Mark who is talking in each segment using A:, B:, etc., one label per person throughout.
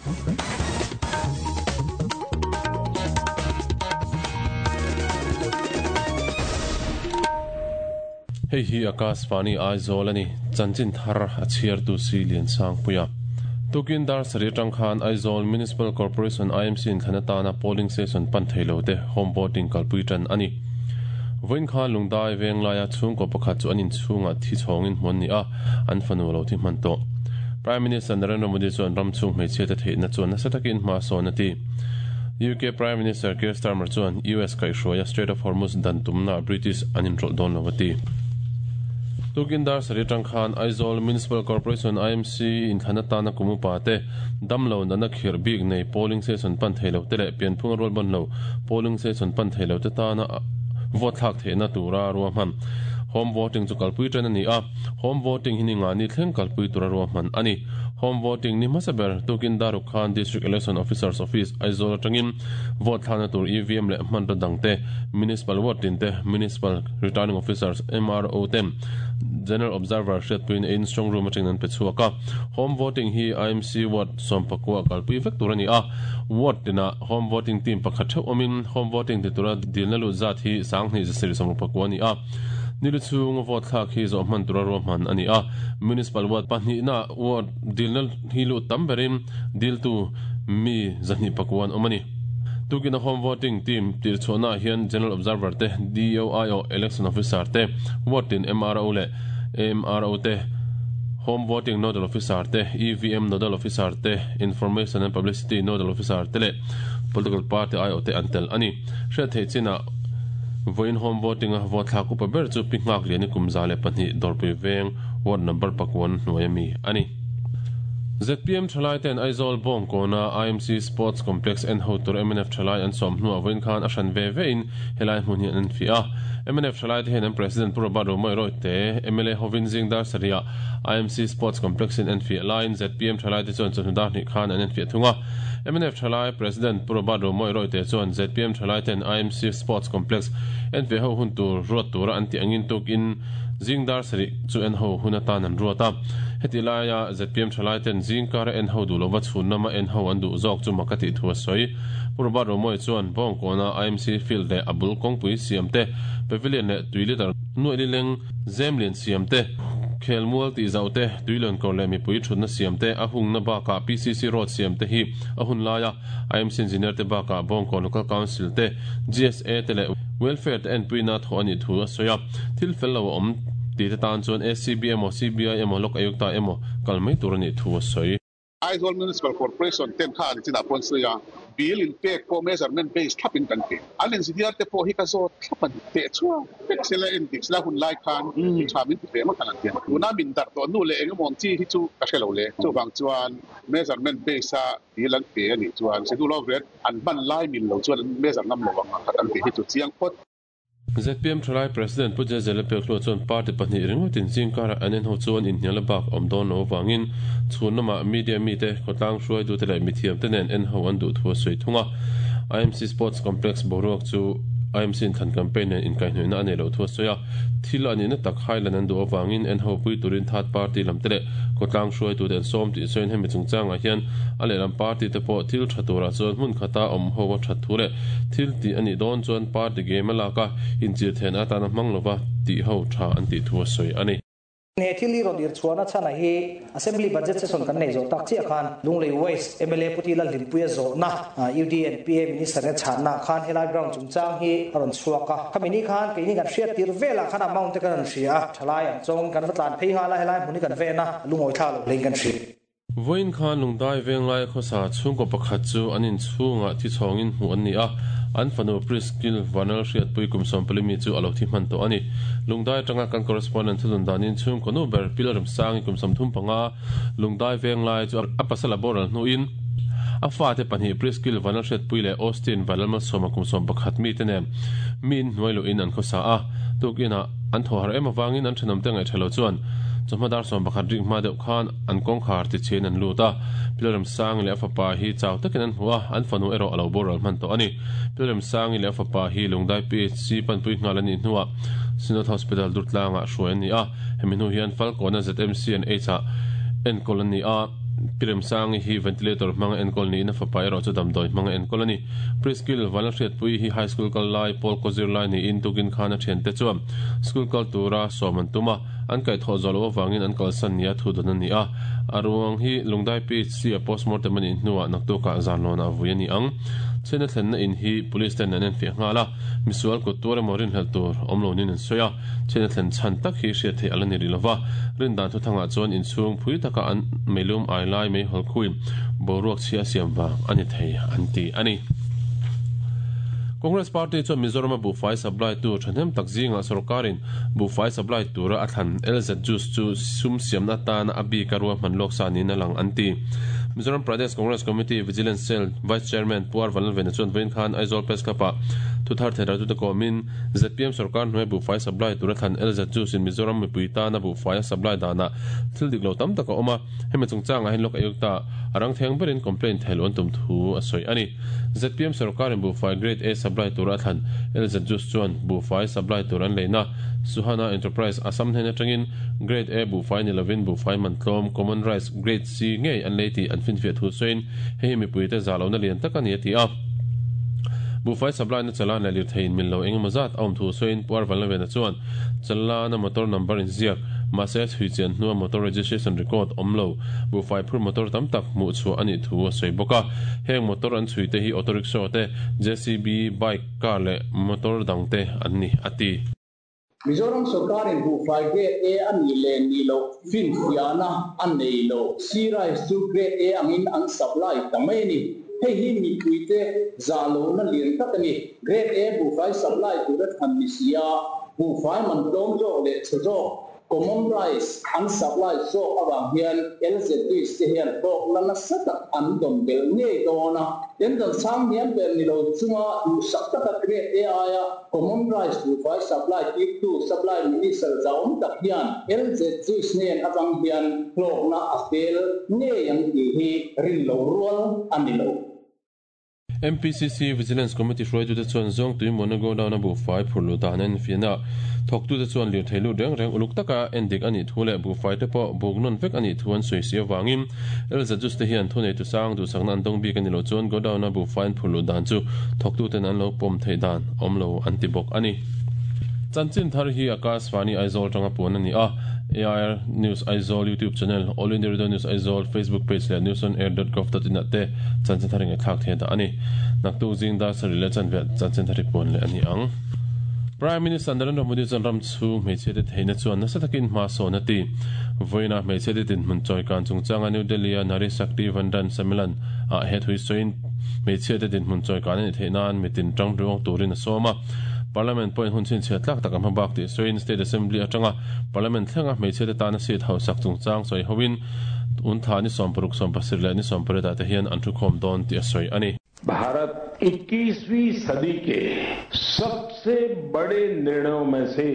A: Hei hi Akashvani Aizawl a ni, chanchin thar a chhiartu si Liansangpuia. Tukin dar sarih atang khan Aizawl Municipal Corporation IMC in thlan atana polling station pan thei lo te home voting kalpui tan a ni. Vawiin khan Lungdai Venglaia chhungkaw pakhat chu an inchhungah thi chhawngin hmuan ni a, an fanu lo thi hman tawh. Prime Minister Narendra Modi chuan ram chhung hmeichhia te theihna chuan nasa takin hma a sawn a ti. UK Prime Minister Keir Starmer chuan US kaihhruaia Strait of Hormuz dan tumnaah British an inrawlh dawn lo a ti. Tukin dar sarih atang khan Aizawl Municipal Corporation, IMC, inthlan atana kum upa te, damlo natna khirh bik nei polling station pan thei lo te leh pianphunga rual ban lo polling station pan thei lo te tana vote thlak theihna tura ruahman home voting chu kalpui tan a ni a. Home voting hi ni nga ni thleng kalpui tura ruahman a ni. Home voting ni hmasa ber tukin Daruk khan District Election Officer's Office, Aizawl atangin vote thlakna tur EVM leh hmanraw dangte Municipal Ward tin te Municipal Returning Officers, MRO, ten General Observer hriatpuiin eiin strong room atangin an pe chhuak a. Home voting hi IMC Ward sawmpakua kalpui vek tur a ni a. Ward tinah Home voting team pakhat theuh awmin Home voting ti tura dilna lut zat hi 20 7 pakua a ni a. Nilu chhunga vote thlak hi zawh hman tura ruahman a ni a. Municipal Ward pahnihna ward dilna hi lut tam berin diltu mi 204 an awm a ni. Tukina Home Voting Team tirhchhuahnaah hian General Observer te, DOIO Election Officer te, Ward tin MRO leh AMRO te, Home Voting Nodal Officer te, EVM Nodal Officer te, Information and Publicity Nodal Officer te leh Political Party aiawh te an tel a ni. Hriat theih chinah vawiin Home Voting-a vote thlak upa ber chu Pi Nghakliani kum 102 Dawrpui Veng Ward Number pakuan hnuai ami a ni. Zpm thalai ten Aizawl Bawngkawna IMC Sports Complex en ho tur mnf thalai an sawm hnuah vawiin khan a hran ve ve in helai hmun hi an enfiah a. Mnf thalai te hian an President Pu Robert Romawih Rawite, mla hovin zing dar sarihah IMC Sports Complex in enfiah laiin zpm thalai te chuan chawhnu dar hnih khan an enfiah thung a. Mnf thalai President Pu Robert Romawih Rawite chuan zpm thalai ten IMC Sports Complex enfiah ho hun tur ruat tura an tih angin tukin Zing dar sarih chu en ho hun atan an ruat a. Heti laia zpm thalai ten zing kara en ho duh lova chhun lama en ho an duh zawk chu mak a tih thu a sawi. Pu Robert Romawia chuan Bawngkawna IMC field leh a bul kawngpui siam te, pavilion leh tui liter nuaih lileng zem lian siam te, khelmual tih zauh te, tuilawn kawr leh mipui thutna siam te, a hungna bakah PCC road siam te hi a hun laia IMC engineer te bakah Bawngkawn Local Council te, GSA te leh Welfare te enpuina thawh a nih thu a sawi a. Thil fel lo a awm tih te tan chuan ACB emaw CBI emaw Lok Ayukta emaw kal mai tur a nih thu a sawi.
B: Aizawl Municipal Corporation ten kha an chinah pawh an sawi a, bill in pek pawh measurement base thlap in kan pe. An engineer te pawh hi ka zawt thlap a ni. Teh chhuak vek sela en dik sela hun lai khan mi tha min ti ve ngawt ang an ti a. Tuna min darh tawh nu leh eng emaw ang chi hi chu ka hre lo le. Chuvang chuan measurement base a bill an pe a nih chuan schedule of rate an hman lai mil lo chuan an measure ngam lo ang a an tih hi chu chiang phawt.
A: Zpm Thalai President Pu Jezela Pekhlua chuan party pahnih ringawt in zing karah an enho chuan inhnial a bak awm dawn lo avangin chhun lamah media mite, khawtlang hruaitute leh mithiamte nen enho an duh thu a sawi thung a. IMC Sports Complex boruak chu IMC inthlan campaign nen inkaihhnawihna a neih loh thu a sawi a. Thil a nihna tak Highland an duh avangin enho pui turin third party lamte leh khawtlang hruaitute an sawm tih sawiin hemi chungchangah hian a lehlam party te pawh thil tha turah chuan hmun khata awm ho a that thu leh thil tih a nih dawn chuan party game a lak a, inchir theihna atana hmang lova tih ho tha an tih thu a sawi a ni.
C: He thil hi rawn irchhuahna chhan a hi Assembly Budget Session kan nei zawh tak chiah khan Lunglei West mla Pu Tila Hlimpuia zawhna UDNPA Minister te chhanna khan helai ground chungchang hi a rawn chhuak a. Khami ni khan keini kan hriat tir velah khan amount te kan rawn hria a, thalai ang chawngin kan va tlan phei nghal a, helai hmun hi kan ven a, lungawi thla lo hlein kan hria.
A: Vawiin khan Lungdai Venglai khawsa chhungkaw pakhat chu an inchhungah thi chhawngin hmuh an ni a, an fanu Priskil Vanal Hriatpui kum 14 mi chu a lo thi hman tawh a ni. Lungdai atanga kan correspondent thudun danin chhungkaw nu ber Pilrem Sangi kum 35 Lungdai Venglai chu a pasal a boral hnuin a fate pahnih Priskil Vanal Hriatpui leh Austin Vanal Malsawma kum 11 mite nen mi inhnuai luhin an khawsa a, tukinah an thaw harh em avangin an thenawmte ngaihṭha lo chuan chawhma dar 11 rik hma deuh khan an kawngkhar tichhiain an lut a, Pilrem Sangi leh a fapa hi chau takin an hmu a, an fanu erawh a lo boral hman tawh a ni. Pilrem Sangi leh a fapa hi Lungdai PHC panpui nghal a nih hnuah Synod Hospital Durtlangah hruai an ni a, hemi hnu hian Falkawna ZMC and H-ah enkawl an ni a. Pi Remsangi hi ventilator hmanga enkawl niin a fapa erawh chu damdawi hmanga enkawl a ni. Priskill Vanlalhriatpuii hi high school kal lai, pawl kaw zir lai niin tukin khan a thiante chuan school kal tura sawm an tum a, an kaihthawh zawh loh avangin an kalsan nia thu dawn a ni a. A ruang hi Lungdai PHC a postmortem a nih hnuah naktukah zanlawnah vui a ni ang. Chhiatna thlenna in hi police ten an enfiah nghal a, misual kut tuar emaw rinhlelh tur awm lo niin an sawi a. Chhiatna thlen chhan tak hi hriat theih a la ni rih lova, rindan thuthangah chuan inchhung phui taka an meilum ai lai meihawl khuin boruak chhia a siam vang a ni thei an ti a ni. Congress Party chuan Mizorama buhfai supply tu thahnem tak zingah sorkarin buhfai supply tura a thlan LZ Juice chu sum siamna atana a bika ruahman lawk sa niin a lang an ti. Mizoram Pradesh Congress Committee Vigilance Cell Vice Chairman Pu R Vanlalvena chuan vawiin khan Aizawl Press Club-ah thuthar theihratute kawmin Zpm sorkar hnuai buhfai supply tura thlan LZ Juice in Mizoram mipui tana buhfai a supply danah thil dik lo tam tak a awm a, hemi chungchangah hian Lok Ayukta a rang theng berin complaint theih loh an tum thu a sawi a ni. Zpm sorkarin buhfai grade A supply tura a thlan LZ Juice chuan buhfai supply tur an leina Suhana Enterprise Assam hnen atangin grade A buhfai ni lovin buhfai man tlawm common rice grade C ngei an lei tih an finfiah thu sawiin hei hi mipuite zah lohna lian tak a ni a ti a. Buhfai supply na chalan leh lirthei in mil lo eng emaw zat a awm thu sawiin Pu Arvanlavena chuan chalana motor number inziak mahse chhui chian hnua motor registration record awm lo buhfai phur motor tam tak hmuh chhuah a nih thu a sawi bawk a. Heng motor an chhui te hi auto rickshaw te, JCB, bike, car leh motor dang te an ni a ti.
D: Mizoram sorkarin buhfai Grade A a nih leh nih loh finfiahna a nei lo. Sea rice chu Grade A angin an supply ta mai a ni. Hei hi mipuite zah lohna lian tak a ni. Grade A buhfai supply tura thlan ni si a, buhfai man tlawm zawk leh chhe zawk Common rice an supply zawk avang hian LZDs te hian hlawkna nasa tak an dawn belh ngei dawn a. Tendon sang hniam ber ni lo chunga duhsak taka Grade A aia Common rice buhfai supply tirtu Supply Minister zauawm tak hian LZGs hnen atang hian hlawkna a fel ngei ang tih hi rin loh rual a ni lo.
A: MPCC Vigilance Committee hruaitute chuan Zawngtui Muana Godown-a buhfai phurh luh dan an enfiah a, thawktute chuan lirthei lut reng reng uluk taka endik a nih thu leh buhfaite pawh buk nawn vek a nih thu an sawi si avangin LZUs te hian thuneitu sang duhsakna an dawng bik a ni loh chuan Godown-a buhfai an phurh luh dan chu thawktuten an lo pawm theih dan awm lo an ti bawk a ni. Chanchin thar hi Akashvani Aizawl atanga puan a ni a, AIR News Aizawl YouTube channel, All India Radio News Aizawl Facebook page leh newsonair.gov.in ah te chanchin thar ingaihthlak thei dah a ni. Naktuk zing dar sarih leh chanve chanchin thar hi puan leh a ni ang. Prime Minister Narendra Modi chuan ram chhung hmeichhiate theihna chuan nasa takin hma sawn a ti. Vawiinah hmeichhiate dinhmun chawikan chungchanga New Delhi-a Nari Shakti Vandan Sammelan ah he thui sawiin hmeichhiate dinhmun chawikan a nih theih nan mitin tang ruang turin a sawm a. Parliament pawhin hun chhinchhiah tlak tak a hma bak tih sawiin State Assembly atanga Parliament thlenga hmeichhiate tana seat hausak chungchang sawi hoin untha ni 16, 17 leh ni 18 ah te hian an thukhawm dawn tih a sawi a ni.
E: Bharat 21वीं सदी के सबसे बड़े निर्णयों में से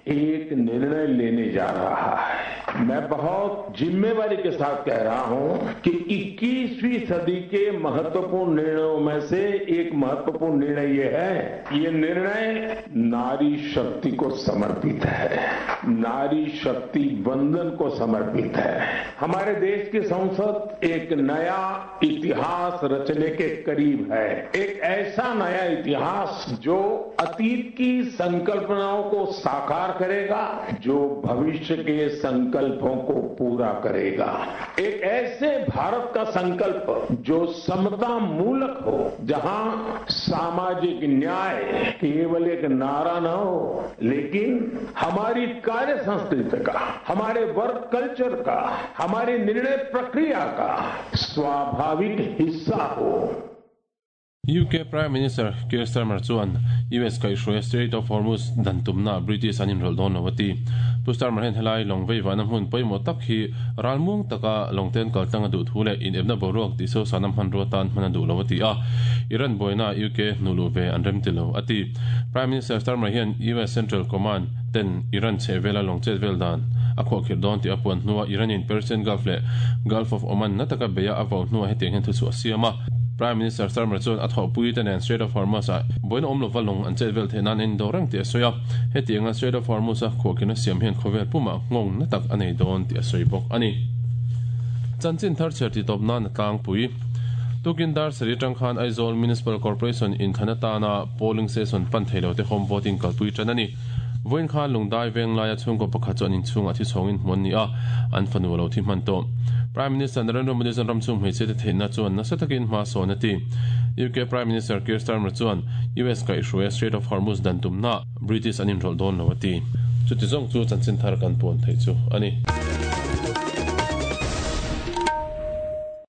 E: एक निर्णय लेने जा रहा है। मैं बहुत जिम्मेवारी के साथ कह रहा हूं कि 21वीं सदी के महत्वपूर्ण निर्णयों में से एक महत्वपूर्ण निर्णय ये है। ये निर्णय नारी शक्ति को समर्पित है, नारी शक्ति वंदन को समर्पित है। हमारे देश की संसद एक नया इतिहास रचने के करीब है, एक ऐसा नया इतिहास जो अतीत की संकल्पनाओं को साकार करेगा, जो भविष्य के संकल्पों को पूरा करेगा। एक ऐसे भारत का संकल्प जो समता मूलक हो, जहां सामाजिक न्याय केवल एक नारा न हो, लेकिन हमारी कार्य संस्कृति का, हमारे वर्क कल्चर का, हमारी निर्णय प्रक्रिया का स्वाभाविक हिस्सा हो।
A: UK Prime Minister Keir Starmer chuan US kaihhruaia Strait of Hormuz dan tumna British an inrawlh dawn lo a ti. Pu Starmer hian helai lawng veivahna hmun pawimawh tak hi ralmuang taka lawngten kaltlang a duh thu leh inepna boruak tih sosana hmanrua tan hman a duh lo a ti a, Iran buaina UK hnuh luh ve an rem ti lo a ti. Prime Minister Starmer hian US Central Command ten Iran chhehvela lawng chet vel dan a khuahkhirh dawn tih a puan hnua Iran-in Persian Gulf leh Gulf of Oman na taka beia a vau hnuah hetiang hian thuchhuah a siam a. Prime Minister Starmer chuan a thawhpui te nen Strait of Hormuz-ah buaina awm lova lawng an chet vel theih nan a indawh reng tih a sawi a. Hetianga Strait of Hormuz-a khuahkhirhna siam hian khawvel pumah nghawng na tak a nei dawn tih a sawi bawk a ni. Chanchin thar chhiar tihtawp nan a tlangpui. Tukin dar sarih atang khan Aizawl Municipal Corporation inthlan atana polling station pan thei lote home voting kalpui tan a ni. Vawiin khan Lungdai veng laia chhungkaw pakhat chu an inchhungah thi chhawngin hmuh an ni a, an fanu a lo thi hman tawh. Prime Minister Narendra Modi chuan ramchhung hmeichhiate theihna chuan nasa takin hma sawn a ti. UK Prime Minister Keir Starmer chuan US kaihhruaia Strait of Hormuz dan tumna British an inrawlh dawn lo a ti. Chuti zawng chu chanchin thar kan puan theih chu a ni.